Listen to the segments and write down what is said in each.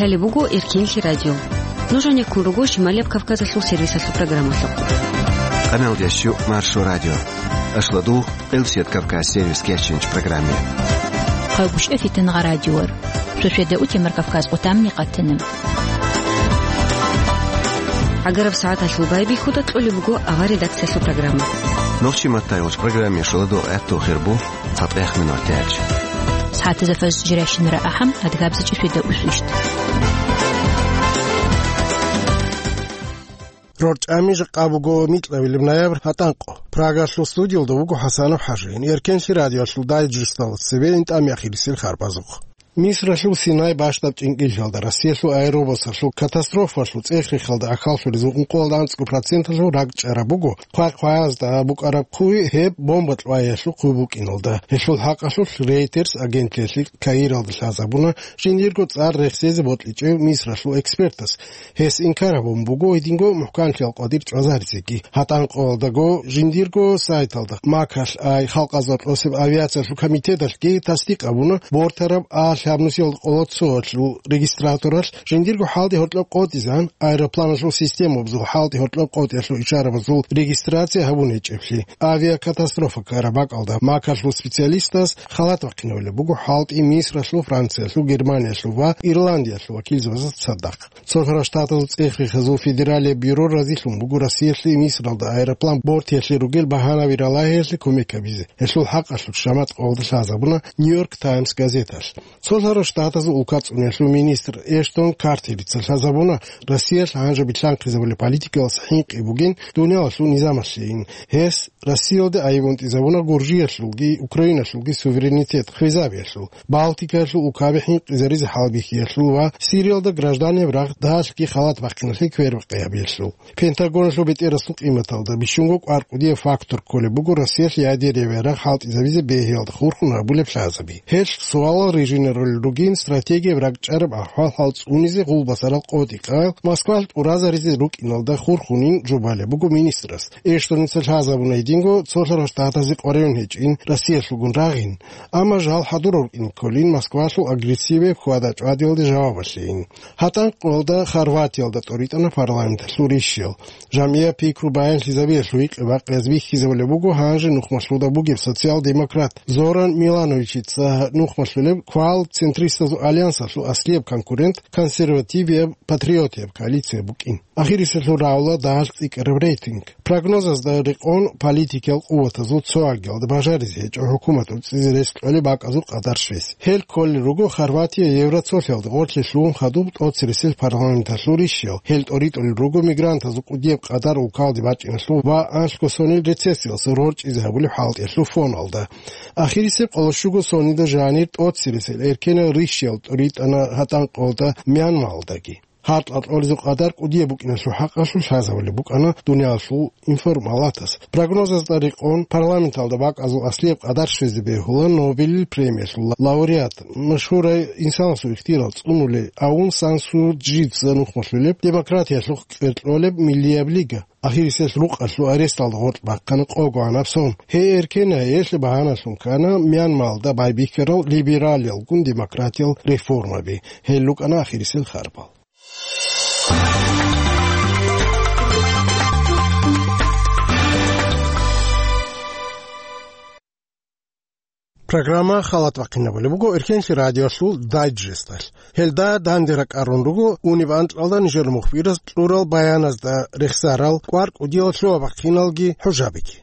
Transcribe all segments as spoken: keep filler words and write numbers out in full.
Гьале буго Эркенлъи радио. Нуж гьанеккун руго Шималияб Кавказалъул сервисалъул программалъухъ. Къаналдеш Маршо радио. Ашладугъ, Элсет Кавказ сервис кеченч программе. Хъайгъушев Фитангъа радиор. Шошеда утемар Кавказ къутамни къатана. Агараб сагӀаталъул байбихьуда кьолеб буго авар редакциялъул программа. Нохчи маттайгъуч программе шуладугъ гӀатту хирбу. ЦатӀех минутач. СагӀатазда фаз жирашинара ахӀам, адгабзичӀеб свида усвищт. РорчӀами жакъа буго микьабилеб ноябрь гьатӀанкъо. Прагалъул студиялда вуго ХӀасанов ХӀажи. Эркенлъи радиоялъул дайджесталда цебе интӀами ахирисел харбазухъ. Мисралъул Синай бащдаб чӀинкӀиллъалда Россиялъул аэробусалъул катастрофалъул цӀех-рехалда ахьаллъулез ункъоялда анцӀго проценталъул ракӀчӀараб буго хъвай-хъваязда букӀараб хъуй гьеб бомба кьваялъул хъуй букӀиналда. Гьелъул хӀакъалъулъ Reuters агентлъиялъе Каиралда лъазабуна жиндирго цӀар рехсезе бокьичӀев Мисралъул экспертас. Гьес инкар гьабун буго гьединго мухӀканлъиялъул къватӀир чӀвазаризеги. ГьатӀанкъоялдаго жиндирго сайталда Макалъ ай халкъазда кьосеб авиациялъул комитеталъги тасдикъ гьабуна бортараб А лъабнусиялда къоло цоялъул регистраторалъ жиндирго хӀалтӀи-гьоркьоб къотӀизегӀан, аэропланалъул системабазул хӀалтӀи-гьоркьоб къотӀиялъул ишарабазул регистрация гьабун гьечӀеблъи. Авиакатастрофа ккараб бакӀалда Макалъул специалистаз халат бахъинабулеб буго хӀалтӀи Мисралъул, Франциялъул, Германиялъул ва Ирландиялъул вакилзабазда цадахъ. Цолъарал Штатазул цӀех-рехазул федералияб бюро разилъун буго Россиялъе Мисралда аэроплан бортиялъе ругел багьанаби ралагьиялъе кумек гьабизе. Гьелъул хӀакъалъулъ Шамат къоялда лъазабуна Нью-Йорк Таймс газеталъ. Цолъарал Штатазул улка цӀуниялъул министр Эштон Картерица лъазабуна, Россиялъ гьанже билълъанхъизабулеб политикалъ хӀинкъи бугин дуниялалъул низамалъейин. Гьес Россиялде айиб унтӀизабуна Гуржиялъулги Украиналъулги суверенитет хвезабиялъул, Балтикаялъул улкаби хӀинкъизаризе хӀалбихьиялъул ва Сириялда гражданиял рагъ дагьалъги халат бахъиналъе квербакъи гьабиялъул. Пентагоналъул бетӀерасул къиматалда бищунго кӀвар кӀудияб фактор кколеб буго Россиялъ ядериял рагъ хӀалтӀизабизе бегьиялда хурхун гьабулеб лъазаби. Гьелъ суалал рижинарулел ругин стратегияб ракӀчӀараб ахӀвал-хӀал цӀунизе гъулбасарал къотӀи-къаял Москвалъ тӀуразаризе рукӀиналда хурхунин жубалеб буго министрас. Эштоница лъазабуна гьединго цолъарал Штатазе къваригӀун гьечӀин Россиялъулгун рагъин, амма жал хӀадурав рукӀин кколин Москвалъул агрессияб хьвада-чӀвадиялде жавабалъейин. ГьатӀанкъоялда Хорватиялда тӀоритӀана парламенталъул рищал. ЖамгӀияб пикру баянлъизабиялъул гьикъи-бакъиялъ бихьизабулеб буго гьанже нухмалъуда бугеб социал-демократ Зоран Милановичица нухмалъулеб квал центристазул альянсалъул аслияб конкурент консервативияб патриотияб коалиция букӀин. Ахириселъул рагӀула дагьалъ цӀикӀкӀараб рейтинг. Прогнозазда рекъон политикиял къуватазул цо агиялда бажаризе гьечӀо хӀукумат уцӀизе рес кьолеб бакӀазул къадар щвез. Гьел кколел руго Хорватия Евроцолъиялда гъорлъе лъугьун хадуб тӀоцересел парламенталъул рищал. Гьел тӀоритӀулел руго мигрантазул кӀудияб къадар улкалде бачӀиналъул ва анлъго сонил рецессиялъ рорчӀизе гьабулеб хӀалтӀиялъул фоналда. Ахирисеб къоло щуго сонида жанир тӀоцересел эркенал рищал тӀоритӀана гьатӀанкъоялда Мьянмалдаги. Гьаркьа кьолезул къадар кӀудияб букӀиналъул хӀакъалъулъ лъазабулеб букӀана дуниялалъул информалатас. Прогнозазда рекъон, парламенталда бакӀазул аслияб къадар щвезе бегьула Нобелил премиялъул лауреат, машгьурай инсанасул ихтияр цӀунулей Аун Сан Су Чжица нухмалъулеб демократиялъухъ кьеркьолеб Миллияб лига. Ахирисел рукъалъул аресталда гъоркь бахъана къогогӀанаб сон. Гьей эркенай, гьелъ багьаналъун ккана Мьянмалда байбихьарал либералиялгун демократиял реформаби. Гьел рукӀана ахирисел харбал. Программа халат бахъинабулеб буго Эркенлъи радиолъул дайджесталъ. Гьелда данде ракӀарун руго униб анкьалда нижер мухбирас кьурал баяназда рехсарал кӀвар кӀудиял лъугьа-бахъиналги хӀужабиги.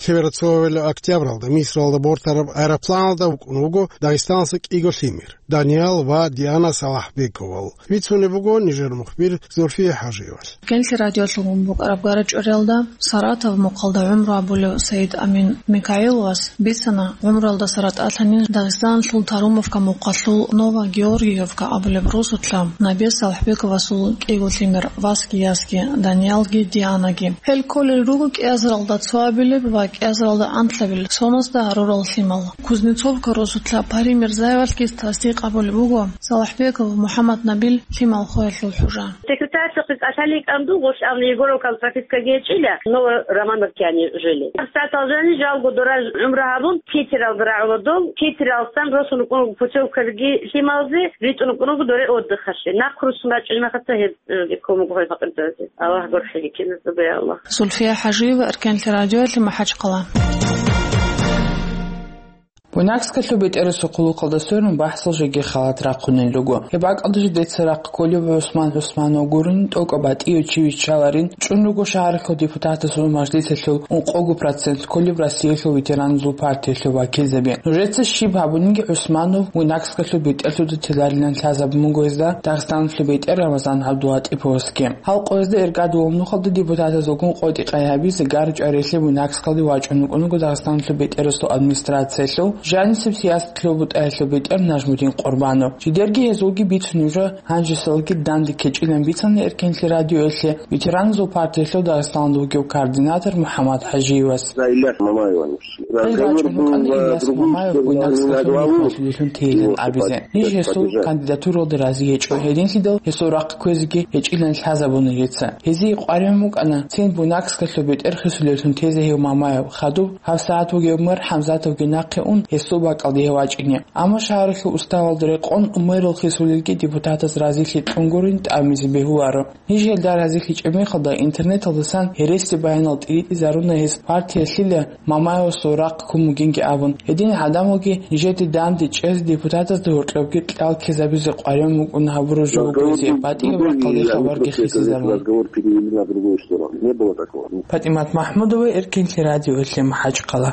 Лъебераб цоябилеб октябралда Мисралда бортараб аэропланалда вукӀун вуго Дагъистаналъа кӀиго лъимер, Даниял ва Диана Салахбековал. Бицунеб буго нижер мухбир Зульфия ХӀажиевалъ. Эркенлъи радиолъул букӀараб гара-чӀвариялда Саратов мухъалда гӀумру гьабулев Саид Амин Микаиловас бицана гӀумруялдаса ратӀалъанин Дагъистаналъул Тарумовка мухъалъул Новогеоргиевка абулеб росулъа Набез Салахбековасул кӀиго лъимер, васги ясги, Даниялги Дианаги. Гьел кколел руго кӀиазаралда цоабилеб ва кӀиазаралда анлъабил соназда гьарурал лъимал. Кузнецовка росулъа Пари Мирзаевалъги тасдикъ гьабулеб буго Салахбеков МухӀаммад Набил лъимал хвеялъул хӀужа. Секретарьлъухъе кӀалъалин кӀанду, гъолъ абуна Егоровкал пропискаги гьечӀила, но Романовкяни жили. СагӀатал жани жалго дора гӀумру гьабун, Питералда рагӀула дол, Питералсан росун рукӀун путевкалги лъималзе, ритӀун рукӀун руго доре отдыхалъе. Нахъ руссун рачӀунеб мехалъ гьеб, э, кумек гьабе факъирзабазе. Аллагь гурхӀеги киназдаго, я Аллагь. Зульфия ХӀажиева, Эркенлъи радиоялъе, МахӀачхъала. Буйнакскалъул бетӀерасул хъулухъалда сверун бахӀсал жеги халат рахъунел руго. Гьеб бакӀалда жидеца рахъ кколеб ГӀусман ГӀусманов гурони, тӀокӀаб батӀияв чи виччаларин, чӀун руго шагьаралъул депутатазул мажлисалъул ункъого процент кколеб Россиялъул ветераназул партиялъул вакилзаби. Нужеца щиб гьабуниги, ГӀусманов Буйнакскалъул бетӀерлъуда теларилан лъазабун буго гьезда Дагъистаналъул бетӀер Рамазан ГӀабдулатӀиповасги. Гьал къоязда Эргадулал нухалда депутатазулгун къотӀи-къай гьабизе гар-чӀварилъи Буйнакскалде вачӀун вукӀун вуго Дагъистаналъул бетӀерасул администрациялъул жанисеб сиясатлъул бутӀаялъул бетӀер Нажмудин Къурбанов. Жидерги гьезулги бицунеб жо, гьанжесалги данде ккечӀилан бицана Эркенлъи радиоялъе ветераназул партиялъул Дагъистаналда вугев координатор МухӀаммад ХӀажиевас. За Ильяс Мамаеван. Хъел рачӀун вукӀана Ильяс Мамаев Буйнакскалъул нухалъулелъун тейилан абизе. Ниж гьесул кандидатуралда рази гьечӀо, гьединлъидал гьесул рахъ кквезеги гьечӀилан лъазабуна гьеца. Гьезие къваригӀун букӀана цин Буйнакскалъул бетӀер хисулеллъун тезе гьев Мамаев, хадуб гьабсагӀат вугев мэр ХӀамзатовги нахъе ун, гьесул бакӀалде гьев вачӀине. Амма шагьаралъул уставалда рекъон мэрал хисулелги депутатаз разилъи кьун гурин тӀамизе бегьуларо. Ниж гьелда разилъичӀеб мехалда интернеталдасан гьереси баянал тӀиритӀизаруна гьес партиялъила Мамаевасул рахъ ккун бугинги абун. Гьедин гӀадамалги нижеде данде чӀезе депутатазда гьоркьобги кьал ккезабизе къваригӀун букӀун гьабураб жо буго гьезие, батӀияб рахъалде хабарги хисизаруна. Разговор перевели на другую сторону. Не было такого. ПатӀимат МахӀмудова, Эркенлъи радиоялъе, МахӀачхъала.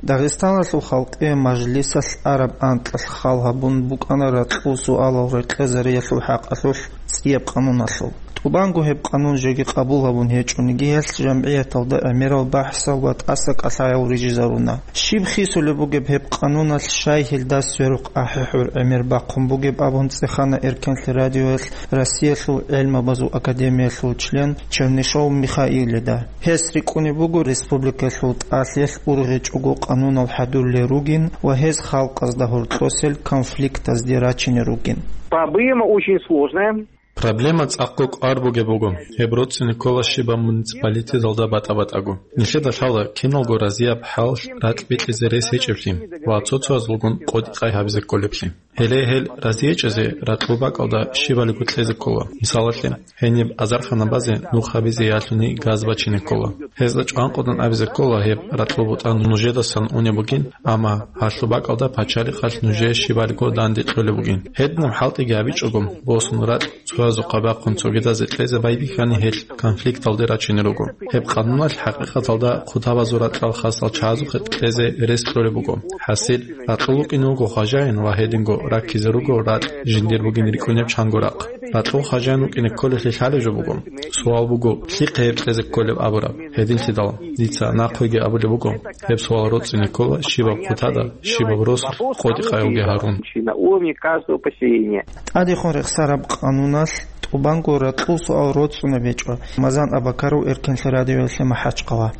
Дагъистаналъул халкъие мажлисалъ араб анкьалъ хал гьабун букӀана ракьул суалал рекъезариялъул хӀакъалъулъ цӀияб къануналъул. ТӀубанго гьеб къанун жеги къабул гьабун гьечӀониги, гьелъ жамгӀияталда гӀемерал бахӀсал ва тӀаса кӀалъаял рижизаруна. Щиб хисулеб бугеб гьеб къануналъ, щай гьелда сверухъ ахӀи-хӀур гӀемер бахъун бугеб абун цӀехана Эркенлъи радиоялъ Россиялъул гӀелмабазул академиялъул член Чернышов Михаилида. Гьес рикӀкӀунеб буго республикалъул тӀалъиялъ ургъечӀого къанунал хӀадурлел ругин ва гьез халкъазда гьоркьосел конфликтазде рачине ругин. Проблема очень сложная. Проблема цӀакъго кӀвар бугеб буго. Гьеб роцӀцӀине ккола щибаб муниципалитеталда батӀа-батӀаго. Нилъеда лъала киналго разияб хӀалалъ ракь бикьизе рес гьечӀеблъи ва цо-цоязулгун къотӀи-къай гьабизе кколеблъи. Гьеле гьел разиячӀезе ракьул бакӀалда щибалиго кьезе ккола. Мисалалъе, гьениб азарханабазе нух гьабизе ялъуни газ бачине ккола. Гьезда чӀванкъудан абизе ккола, гьеб ракьул бутӀа нужедасан унеб бугин, амма гьалъул бакӀалда пачалихъалъ нужее щибалиго данде кьолеб бугин. Гьединаб хӀалтӀиги гьабичӀого, босун ракь цоязухъа бахъун цогидазе кьезе байбихьани, гьелъ конфликталде рачине руго. Гьеб къануналъ хӀакъикъаталда хъутабазул ракьал хасал чагӀазухъе кьезе рес кьолеб буго. ХӀасил, ракьул вукӀине вуго хважаин ва гьединго раккизе руго ракь жиндир бугин рикӀкӀунеб чанго рахъ. Ракьул хважаин вукӀине кколелъи лъалеб жо буго. Суал буго, лъихъе гьеб кьезе кколеб абураб? Гьединлъидал дица нахъеги абулеб буго, гьеб суал роцӀцӀине ккола щибаб хъутада, щибаб росулъ къотӀи-къайги гьарун. На уровне каждого поселения. ТӀадехун рехсараб къануналъ тӀубанго ракьул суал роцӀцӀунеб гьечӀо. Рамазан Абакаров, Эркенлъи радиоялъе, МахӀачхъала.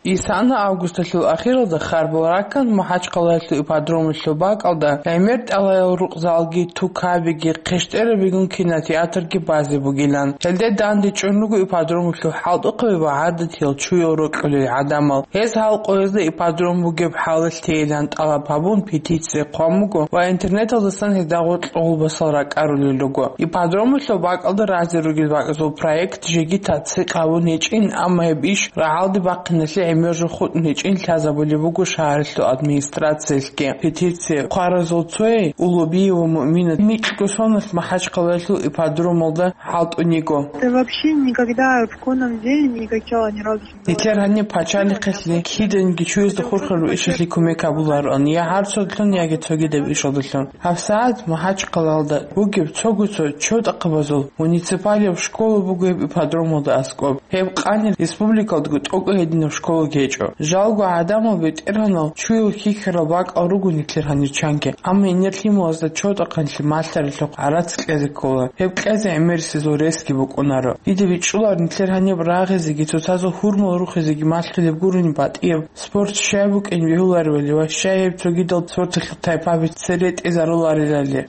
Исана августалъул ахиралда харбал раккан МахӀачхъалаялъул ипподромалъул бакӀалда гӀемер тӀалаял рукъзалги, тукабиги, хъещтӀерабигун кинотеатрги базе бугилан. Гьелде данде чӀун руго ипподромалъул хӀалтӀухъаби ва гӀадатиял чуял рокьулел гӀадамал. Гьез гьал къоязда ипподром бугеб хӀалалъ тейилан тӀалаб гьабун, петиция хъван буго ва интернеталдасан гьезда гъоркь гъулбасал ракӀарулел руго. Ипподромалъул бакӀалда разе ругел бакӀазул проект жеги тасдикъ гьабун гьечӀин, амма гьеб иш рагӀалде бахъиналъе гӀемер жо хутӀун гьечӀин лъазабулеб буго шагьаралъул администрациялъги. Петиция хъваразул цояй Улубиева Муъмина микьго соналъ МахӀачхъалаялъул ипподромалда хӀалтӀун йиго. Да вообще никогда в школьном деле не играла ни разу. Нилъер гьаниб пачалихъалъе киданиги чуязда хурхараб ишалъе кумек гьабулароан, я гьарцудалъун, яги цогидаб ишалдалъун. ГьабсагӀат МахӀачхъалаялда бугеб цого-цо чотӀахъабазул муниципалияб школа буго гьеб ипподромалда аскӀоб. Гьеб къани республикалдаго тӀокӀаб гьединаб школа гьечӀо. Жалго гӀадамал БетӀергьанал чуял хьихьарал бакӀал руго нилъер гьанир чанги, амма гьенир лъималазда чордахъанлъи малъаралъухъ гӀарац кьезе ккола. Гьеб кьезе гӀемерисезул ресги букӀунаро. Дида бичӀчӀулар нилъер гьаниб рагъизеги, цоцазул гьурмал рухизеги малъулеб гурони батӀияб спорт щай букӀин бегьуларивали ва щай гьеб цогидал спорталъул тайпаби цере тӀезаруларилали.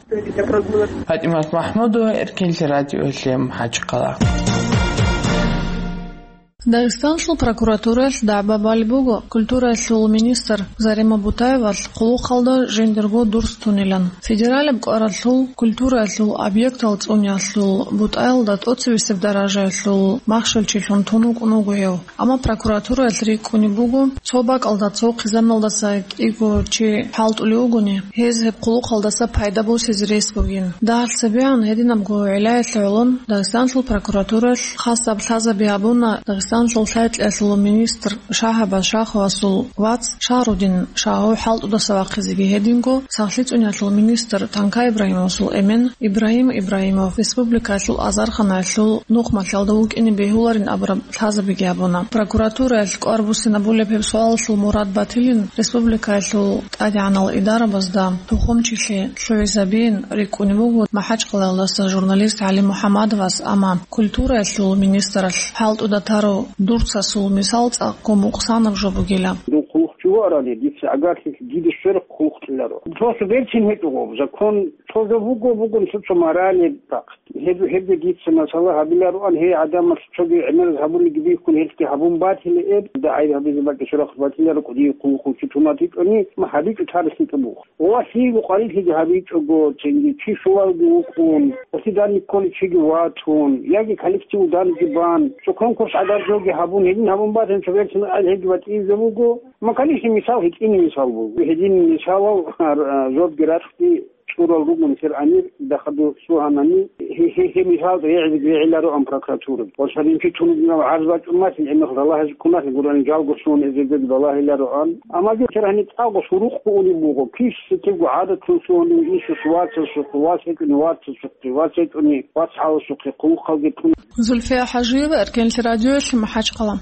ПатӀимат МахӀмудова, Эркенлъи радиоялъе, МахӀачхъала. Дагъистанлъул прокуратураялъ дагӀба балеб буго культураялъул министр Зарема Бутаевалъ хъулухъалда жиндирго дурс тунилан. Федералияб кӀваралъул культураялъул объектал цӀуниялъул бутӀаялда тӀоцебесеб даражаялъул махщелчилъун тун вукӀун вуго гьев. Амма прокуратураялъ рикӀкӀунеб буго, цо бакӀалда цо хъизаналдаса кӀиго чи хӀалтӀулев вугони, гьез гьеб хъулухъалдаса пайда босизе рес бугин. Дагьалъ цебегӀан гьединабго гӀиллаялъ гӀолон Дагъистанлъул прокуратураялъ хасаб лъазаби гьабуна Дагъистанлъул лъай-кьеялъул министр Шагьабаз Шаховасул вац Шагьрудин Шагьов хӀалтӀудаса вахъизеги, гьединго сахлъи цӀуниялъул министр Танкай Ибрагьимовасул эмен Ибрагьим Ибрагьимов, республикаялъул азарханаялъул нухмалъалда вукӀине бегьуларин абураб лъазабиги гьабуна. Прокуратураялъ кӀвар буссинабулеб гьеб суалалъул мурад батилин, республикаялъул тӀадегӀанал идарабазда тухумчилъи лъугӀизабиин рикӀкӀунеб буго МахӀачхъалаялдаса журналист ГӀали МухӀаммадовас, амма культураялъул министралъ хӀалтӀуда тарав дурцасул мисал цӀакъго мукъсанаб жо бугила. Дун хъулухъчи вуарали, дица гӀагарлъи диде щвер хъулухъ кьеларо. Просто берцин гьечӀо гъоб закон, цо жо буго, бугун цо-цо морали бахъ. Гьеб-, гьеб дица масала гьабилароан, гьей гӀадамас цоги гӀемераз гьабулеги бихьун, гьелъги гьабун батила эб, дагӀай гьабизе бакӀи сурахъ батиларо, кӀудияв хъулухъчи тунатичӀони, ма гьабичӀо тарихлъи тӀубух. Ва лъиего къварилъиги гьабичӀого, цинги чи щулалги вукӀун, гьелъи данде кколев чиги ватун, яги коллектив данде бан, цо конкурс гӀадаржоги гьабун, гьедин гьабун батун, цо берцин гьел гьеги батӀизе буго. Ма, конечно, мисал гьитӀине мисал буго. Гьедин мисалал, а, жодги рахъги цӀурал ругун сер амир дахаду сугьанани, гье-, гье-, гье мисал регӀизеги регӀилароан прокуратура. Ва садинчи тунугинав гӀарз бачӀун масин, гӀемер балагьизе ккун масин, гурани жалго суун эзегеги балагьилароан. Амма гье сер гьаниб цӀакъго сурухъ бугӀунеб буго, кис сетевго гӀадатлъун сугьунев, инсус вацасухъе, вац гьечӀони вацасухъе, вац гьечӀони вацгӀаласухъе, хъулухъалги тун. Зульфия ХӀажиева, Эркенлъи радиоялъ, МахӀачхъала.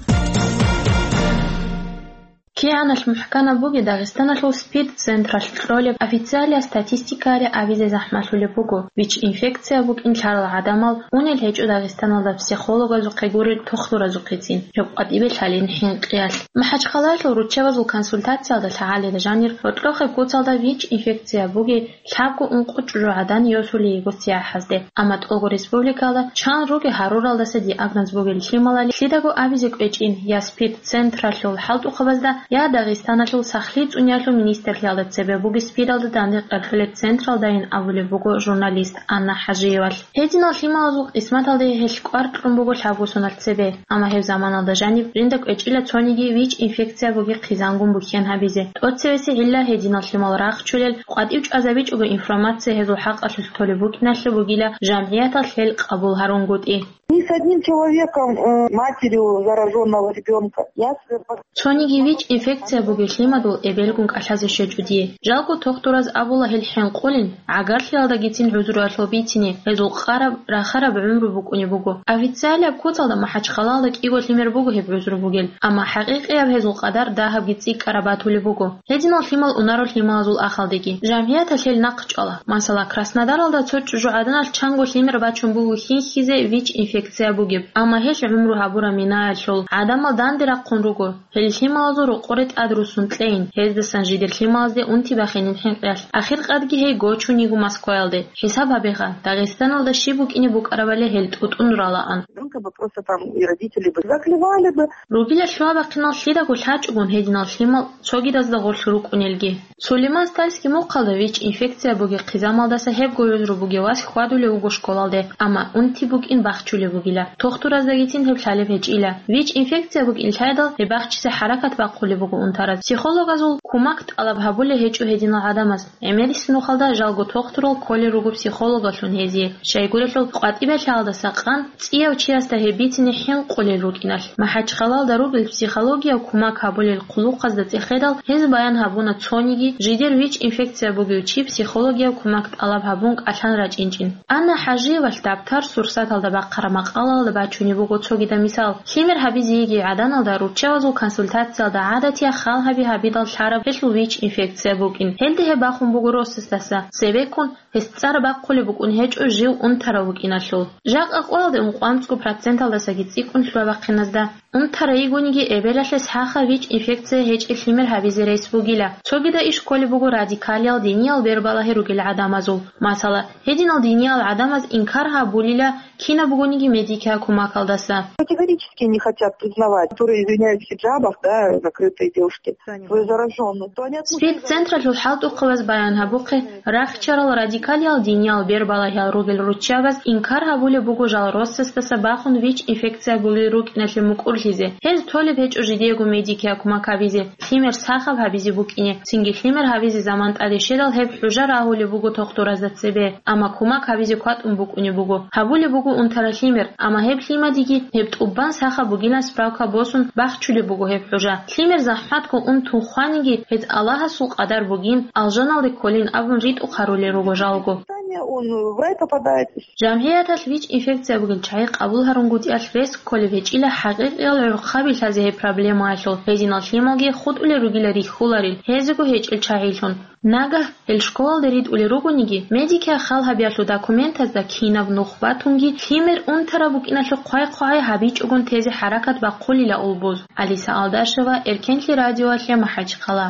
КигӀаналъ мухӀканаб буги Дагъистаналъул СПИД-централъ кьолеб официалияб статистикаялъе абизе захӀмалъулеб буго, ВИЧ-инфекция букӀин лъарал гӀадамал унел гьечӀо Дагъистаналда психологазухъе гурел тухтуразухъецин, гьеб къватӀибе лъалин хӀинкъиялъ. МахӀачхъалаялъул руччабазул консультациялда лъагӀалида жанир гьоркьохъеб куцалда ВИЧ-инфекция буги лъабго ункъо чӀужугӀадан йосулей йиго сияхӀазде. Амма тӀолго республикалда чан руги гьаруралдаса диагноз бугел лъималали лъидаго абизе кӀвечӀин, я СПИД-централъул хӀалтӀухъабазда, я Дагъистаналъул сахлъи цӀуниялъул министрлъиялда цебе буги СПИДалда данде къерхьулеб централдайин абулеб буго журналист Анна ХӀажиевалъ. Гьединал лъималазул къисматалде гьелъ кӀвар кьун буго лъабго соналъ цебе. Амма гьеб заманалда жаниб жинда кӀвечӀила цониги ВИЧ-инфекция буги хъизангун бухьен гьабизе. ТӀоцевеси гӀилла гьединал лъимал рахчулел, къватӀив чӀвазабичӀого информация гьезул хӀакъалъулъ толеб букӀиналъе бугила жамгӀияталъ гьел къабул гьарунгутӀи. Ни с одним человеком, э, матерью заражённого ребёнка. Я с- Цониги ВИЧ-инфекция бугел лъимадул эбелгун кӀалъазе щвечӀо дие. Жалго тухтураз абула гьел хӀинкъулин, гӀагарлъиялдагицин гӀузруялъул бицине, гьезул къараб, рахараб гӀумру букӀунеб буго. Официалияб куцалда МахӀачхъалаялда кӀиго лъимер буго гьеб гӀузру бугел, амма хӀакъикъияб гьезул къадар дагьабги цӀикӀкӀараб батулеб буго. Гьединал лъимал унаро лъималазул ахалдеги. ЖамгӀияталъ гьел нахъ чӀвала. Масала, Краснодаралда цо чӀужугӀаданалъ чанго лъимер бачун буго хьихьизе ВИЧ-инфекция бугеб, амма гьелъ гӀумру гьабураб минаялъул гӀадамал данде рахъун руго. Гьел лъималазул рокъоре тӀад руссун кьейин, гьездасан жидер лъималазде унти бахинин хӀинкъиялъ. Ахиркъадги гьей гочун йиго Москваялде. ХӀисаб гьабеха, Дагъистаналда щиб букӀине букӀарабали гьел тӀутӀун ралаан. Ребёнка бы просто там и родители бы заклевали бы. Ругила лъугьа-бахъинал лъидаго лъачӀогун гьединал лъимал цогидазда гъорлъ рукӀунелги. Сулейман-Стальский мухъалда ВИЧ-инфекция бугеб хъизамалдаса гьебго гӀузру бугев вас хьвадулев вуго школалде, амма унти букӀин бахчулеб бугила. Тухтураздагицин гьеб лъалеб гьечӀила. ВИЧ-инфекция букӀин лъайдал, гьеб бахчизе хӀаракат бахъулеб буго унтараз. Психологазул кумак тӀалаб гьабулеб гьечӀо гьединал гӀадамаз. ГӀемерисеб нухалда жалго тухтурал кколел руго психологалъун гьезие. Щайгурелъул, къватӀибе лъалдаса къан цӀияв чияс гьеб бицине хӀинкъулел рукӀиналъ. МахӀачхъалалда ругел психологияв кумак гьабулел хъулухъазда цӀехедал, гьез баян гьабуна цониги жидер ВИЧ-инфекция бугев чи психологияв кумак тӀалаб гьабун кӀалъан рачӀинчӀин. Анна ХӀажиевалъ дабтар «Сурсаталда» бахъараб макъалаялда бачунеб буго цогидаб мисал. Лъимер гьабизе йигей гӀаданалда руччабазул консультациялда гӀадатияб хал гьаби гьабидал лъараб гьелъул ВИЧ-инфекция букӀин. Гьелда гьеб бахун буго росасдаса, цебеккун гьес цӀар бахъулеб букӀун гьечӀо жив унтарав вукӀиналъул. Жакъа къоялде ункъоанцӀго проценталдасаги цӀикӀкӀун лъугьа-бахъиназда. Унтарай йигониги, эбелалъе сахаб ВИЧ-инфекция гьечӀеб лъимер гьабизе рес бугила. Цогидаб иш кколеб буго радикалиял диниял бербалагьи ругел гӀадамазул. Масала, гьединал диниял гӀадамаз инкар гьабулила кинаб бугониги медикиял кумакалдаса. Категорически не хотят признавать, которые извиняются в хиджабах, да, закрытые девушки, свою заражённость. То они относятся... СПИД-централъул хӀалтӀухъабаз баян гьабухъе, рахчарал радикалиял диниял бербалагьиял ругел руччабаз инкар гьабулеб буго жал росасдаса бахун ВИЧ-инфекция бугел рукӀиналъе мукӀурлъизе. Гьез толеб гьечӀо жидеего медикиял кумак гьабизе, лъимер сахаб гьабизе букӀине, цинги лъимер гьабизе заман тӀаде щведал гьеб хӀужа рагьулеб буго тухтуразда цебе, амма кумак гьабизе кватӀун букӀунеб буго. Гьабулеб буго унтараб лъимер, амма гьеб лъимадиги гьеб тӀубан сахаб бугилан справка босун бахчулеб буго гьеб хӀужа. Лъимер захӀматго ун тун хваниги, гьез Аллагьасул къадар бугин, алжаналде кколин абун ритӀухъ гьарулел руго жалго. Он в рай попадает. ЖамгӀияталъ ВИЧ-инфекция бугел чагӀи къабул гьарунгутӀиялъ рес кколеб гьечӀила хӀакъикъиял гӀурхъаби лъазе гьеб проблемаялъул, гьединал лъималги хутӀулел ругила рихьуларел, гьезего гьечӀел чагӀилъун. Нагагь гьел школалде ритӀулел ругониги, медикиял хал гьабиялъул документазда кинаб нух батунги, лъимер унтараб букӀиналъе хъвай-хъвагӀай гьабичӀогун тезе хӀаракат бахъулила улбуз. Алиса Алдашева, Эркенлъи радиоялъе, МахӀачхъала.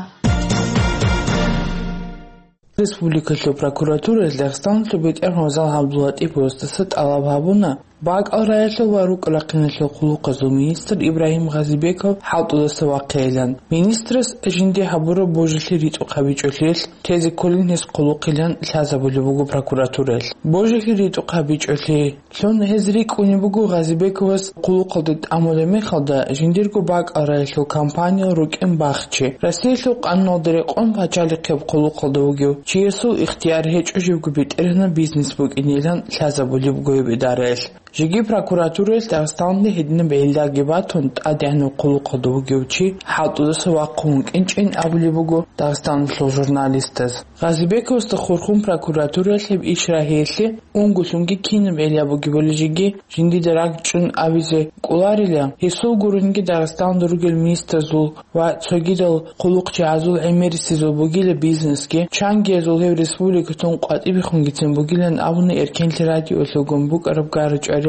Республикалъул прокуратураялъ Дагъистаналъул БетӀергьан Гъозал ГӀабдуллатӀиповасдаса тӀалаб гьабуна, бакӀал раялъул ва рукӀа-рахъиналъул хъулухъазул министр Ибрагьим Гъазибеков хӀалтӀудаса вахъейилан. Министрас жинди гьабураб божилъи ритӀухъ гьабичӀолъиялъ тезе кколин гьес хъулухъилан лъазабулеб буго прокуратураялъ. Божилъи ритӀухъ гьабичӀолъи лъун гьез рикӀкӀунеб буго Гъазибековас хъулухъалде тӀамулеб мехалда жиндирго бакӀал раялъул компаниял рукӀин бахчи. Россиялъул къануналда рекъон пачалихъеб хъулухъалда вугев чиясул ихтияр гьечӀо живго бетӀергьанаб бизнес букӀинилан лъазабулеб буго гьеб идараялъ. Жеги прокуратураялъ Дагъистаналде гьединаб гӀиллаги батун, тӀадегӀанав хъулухъалда вугев чи хӀалтӀудаса вахъун вукӀинчӀин абулеб буго Дагъистаналъул журналистаз. Гъазибековасда хурхун прокуратураялъ гьеб иш рагьиялъе унго лъунги кинаб гӀилла бугебали жеги жиндида ракӀчӀун абизе кӀоларила, гьесул гурониги Дагъистаналда ругел министрзул ва цогидал хъулухъчагӀазул гӀемерисезул бугила бизнесги, чангиязул гьев республикалъун къватӀибехунгицин бугилан абуна Эркенлъи радиоялъулгун букӀараб гара-чӀвариялда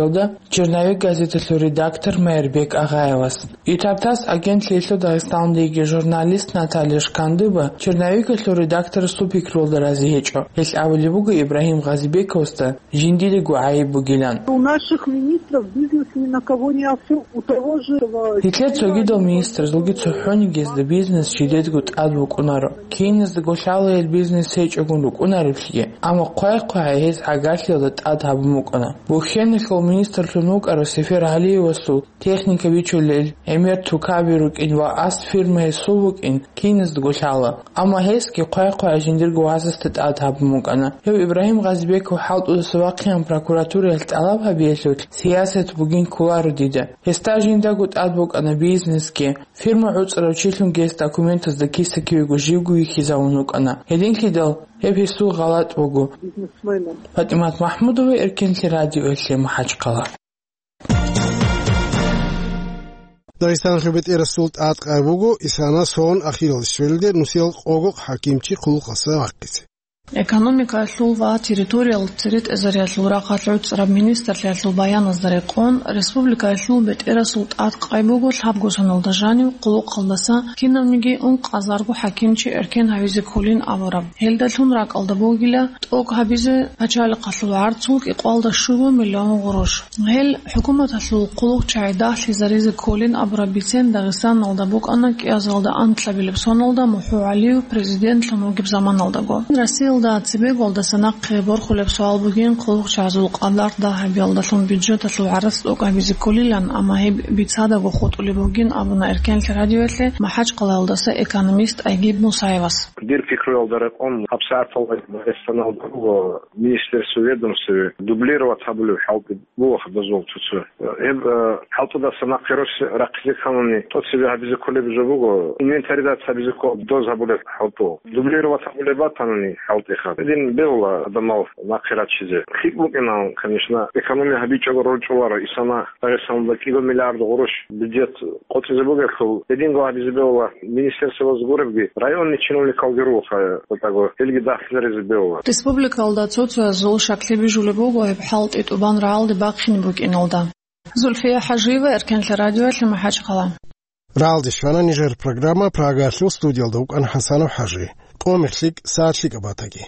«Черновик» газеталъул редактор Майрбек Агъаевас. Итар-тасс агентлъиялъул Дагъистаналдеги журналист Наталья Шкандыба «Черновикалъул» редакторасул пикруялда рази гьечӀо. Гьелъ абулеб буго Ибрагьим Гъазибековасда жиндидаго гӀайиб бугилан. У наших министров бизнес ни на кого не оформлен. У того же этого... Гьелъ цогидал министрзулги цохӀониги гьезда бизнес жидедго тӀад букӀунаро. Киназдаго лъала гьел бизнес гьечӀогун рукӀунареблъиги, амма хъвай-хъвагӀай гьез гӀагарлъиялда тӀад гьабун букӀана. Бухьеналъул министрлъун вукӀарав Сефер Гьалиевасул техника бичулел гӀемер тукаби рукӀин ва асфирма гьесул букӀин киназдаго лъала. Амма гьесги хъвай-хъвагӀай жиндирго вазасда тӀад гьабун букӀана. Гьев Ибрагьим Гъазибеков хӀалтӀудаса вахъеян прокуратураялъ тӀалаб гьабиялъулъ сиясат бугин кколаро дида. Гьесда жиндаго тӀад букӀана бизнесги, фирма гӀуцӀарав чилъун гьес документазда киса-кивего живго вихьизавун вукӀана. Гьединлъидал гьеб гьесул гъалатӀ буго. ПатӀимат МахӀмудова, Эркенлъи радиоялъе, МахӀачхъала. Дагъистаналъул бетӀерасул тӀадкъай буго исана сон ахирал щвелде нусиял къого хӀакимчи хъулухъаса вахъизе. Экономикаялъул ва территориял церетӀезариялъул рахъалъ гӀуцӀараб министрлъиялъул баяназда рекъон, республикаялъул бетӀерасул тӀадкъай буго лъабго соналда жанив хъулухъалдаса кинавниги ункъазарго хӀакимчи эркен гьавизе кколин абураб. Гьелдалъун ракӀалда бугила тӀокӀ гьабизе пачалихъалъул гӀарцул кӀикъоялда щуго миллион гъурущ. Гьел хӀукуматалъул хъулухъчагӀи дагьлъизаризе кколин абураб бицен Дагъистаналда букӀана кӀиазалда анкьабилеб соналда МухӀу ГӀалиев президентлъун вугеб заманалдаго. Россиялда цебегуялдаса нахъе борхулеб суал бугин, хъулухъчагӀазул къадар дагь гьабиялдалъун бюджеталъул гӀарац тӀокӀ гьабизе кколилан, амма гьеб бицадаго хутӀулеб бугин абуна Эркенлъи радиоялъе МахӀачхъалаялдаса экономист Айгиб Мусаевас. Дир пикруялда рекъон, гьабсагӀаталда Дагъистаналда буго министерство, ведомствояби дублировать гьабулеб хӀалтӀи буго гьаб дозул цо-цо. Гьеб, э, хӀалтӀудаса нахъе рос-, рахъизе кканани, тӀоцебе гьабизе кколеб жо буго, инвентаризация гьабизе ккола доз гьабулеб хӀалтӀу. Дублировать гьабулеб батанани хӀалтӀиха, гьедин бегьула гьадамал нахъе рачизе. ХъикӀ букӀина, конечно, экономия гьабичӀого рорчӀуларо, исана Дагъистаналда кӀиго миллиард гъурущ бюджет къотӀизе бугелъул, гьединго гьабизе бегьула министерствоялъ гуребги, районный чиновникалги руха, гьелги дагьлъизаризе бегьула. Республикалда цо-цоязул щаклъи бижулеб буго гьеб хӀалтӀи тӀубан рагӀалде бахъине букӀиналда. Зульфия ХӀажиева, Эркенлъа радиоялъе, МахӀачхъала. РагӀалде щвана нижер программа, Прагаялъул студиялда вукӀана ХӀасанов ХӀажи. Къо-мех лъикӀ, сагӀат лъикӀаб батаги.